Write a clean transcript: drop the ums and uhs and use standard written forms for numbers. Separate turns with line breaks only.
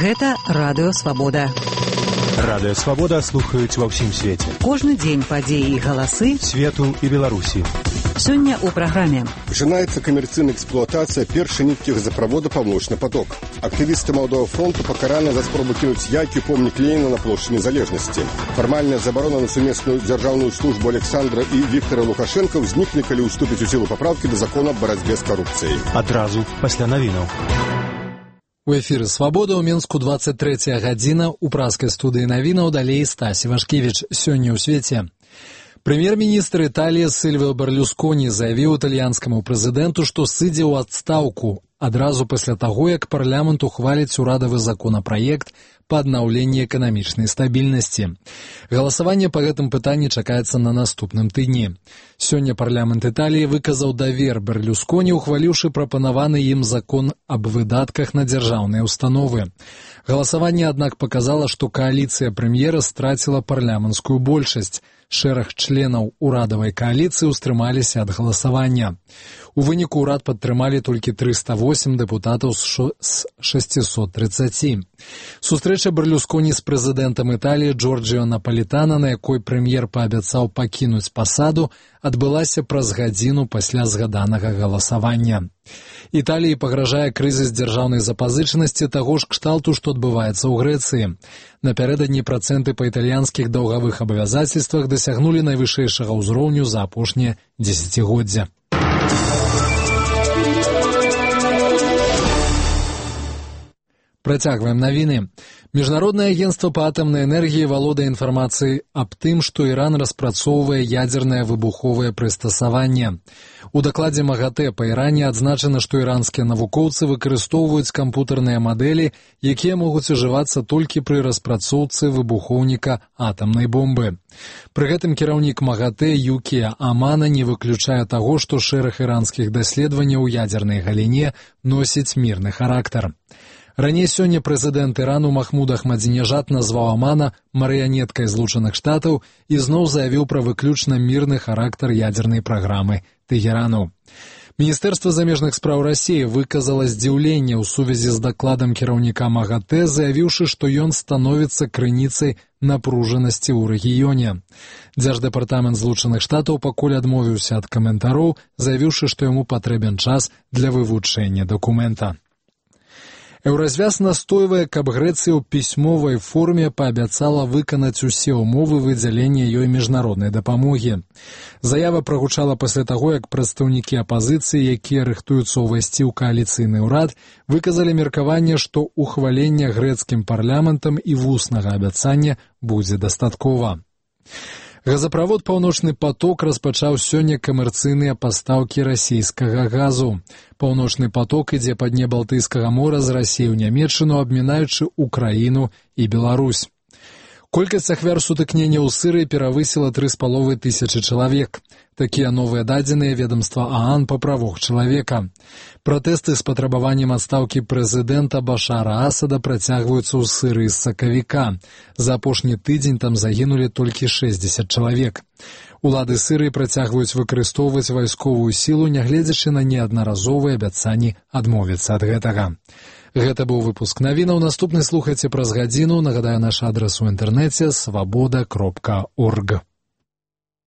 Гэта Радыё Свабода.
Радыё Свабода слухаюць ва ўсім свеце.
Кожны дзень падзеі і галасы
свету і Беларусі.
Сёння ў праграме.
Пачынаецца камерцыйная эксплуатацыя першай ніткі газаправода «Паўночны поток». Актывісты Малдового фронту пакараны за спробу кінуць яйкі ў помнік Леніна на плошчы Незалежнасці. Фармальная забарона на сумесную дзяржаўную службу Александра і Віктора Лукашенка ўзнікне, калі ўступіць у сілу папраўкі да закона аб барацьбе з карупцыяй.
Адразу пасля навінаў.
У эфіры «Свабода» ў Мінску 23 гадзіна. У праскай студыі навінаў далей Стасі Вашкевіч. Сёння ў свеце. Прэм'ер-міністр Італіі Сільвіо Берлюсконі заявіў італьянскаму прэзідэнту, што сыдзе ў адстаўку адразу пасля таго, як парламент ухваліць урадавы законапраект па аднаўленні эканамічнай стабільнасці. Галасаванне па гэтым пытанні чакаецца на наступным тыдні. Сёння парламент Італіі выказаў давер Берлюсконі, ухваліўшы прапанаваны ім закон аб выдатках на дзяржаўныя ўстановы. Галасаванне, аднак, паказала, што кааліцыя прэм'ера страціла парламенцкую большасць. Шэраг членаў урадавай кааліцыі ўстрымаліся ад галасавання. У выніку ўрад падтрымалі толькі 308 дэпутатаў з 630. Сустрэча Берлюсконі з прэзідэнтам Італіі Джорджіо Напалітана, на якой прэм'ер паабяцаў пакінуць пасаду, адбылася праз гадзіну пасля згаданага галасавання. Італіі пагражае крызіс дзяржаўнай запазычанасці таго ж кшталту, што адбываецца ў Грэцыі. Напярэдадні працэнты па італьянскіх даўгавых абавязацельствах дасягнулі найвышэйшага ўзроўню за апошняе дзесяцігоддзя. Працягваем навіны. Міжнароднае агенцтва па атамнай энергіі валодае інфармацыяй аб тым, што Іран распрацоўвае ядзернае выбуховае прыстасаванне. У дакладзе МАГАТЭ па Іране адзначана, што іранскія навукоўцы выкарыстоўваюць кампутарныя мадэлі, якія могуць ужывацца толькі пры распрацоўцы выбухоўніка атамнай бомбы. Пры гэтым кіраўнік МАГАТЭ Юкія Амана не выключае таго, што шэраг іранскіх даследаванняў у ядзернай галіне носіць мірны характар. Раней сёння прэзідэнт Ірану Махмуд Ахмадзінежад назваў Амана марыянеткай Злучаных Штатаў і зноў заявіў пра выключна мірны характар ядзернай праграмы Тэгерану. Міністэрства замежных спраў Расіі выказала здзіўленне ў сувязі з дакладам кіраўніка МАГАТЭ, заявіўшы, што ён становіцца крыніцай напружанасці ў рэгіёне. Дзярждэпартамент Злучаных Штатаў пакуль адмовіўся ад каментароў, заявіўшы, што яму патрэбен час для вывучэння дакумента. Еўразвяз настойвае, каб Грэцыя ў пісьмовай форме паабяцала выканаць усе ўмовы выдзялення ёй міжнароднай дапамогі. Заява прагучала пасля таго, як прадстаўнікі апазіцыі, якія рыхтуюцца ўвайсці ў кааліцыйны ўрад, выказалі меркаванне, што ухвалення грэцкім парламентам і вуснага абяцання будзе дастаткова. Газаправод «Паўночны поток» распачаў сёння камерцыйныя пастаўкі расійскага газу. «Паўночны поток» ідзе па дне Балтыйскага мора з Расіі ў Нямецчыну, абмінаючы Украіну і Беларусь. Колькасць ахвяр сутыкнення ў Сырыі перавысіла 3500 чалавек. Такія новыя дадзеныя ведамства ААН па правах чалавека. Пратэсты з патрабаваннем адстаўкі прэзідэнта Башара Асада працягваюцца ў Сырыі з сакавіка. За апошні тыдзень там загінулі толькі 60 чалавек. Улады Сырыі працягваюць выкарыстоўваць вайсковую сілу, нягледзячы на неаднаразовыя абяцанні адмовіцца ад гэтага. Гэта быў выпуск навінаў. Наступны слухайце праз гадзіну. Нагадаю, наш адрас у інтэрнэце свабода.орг.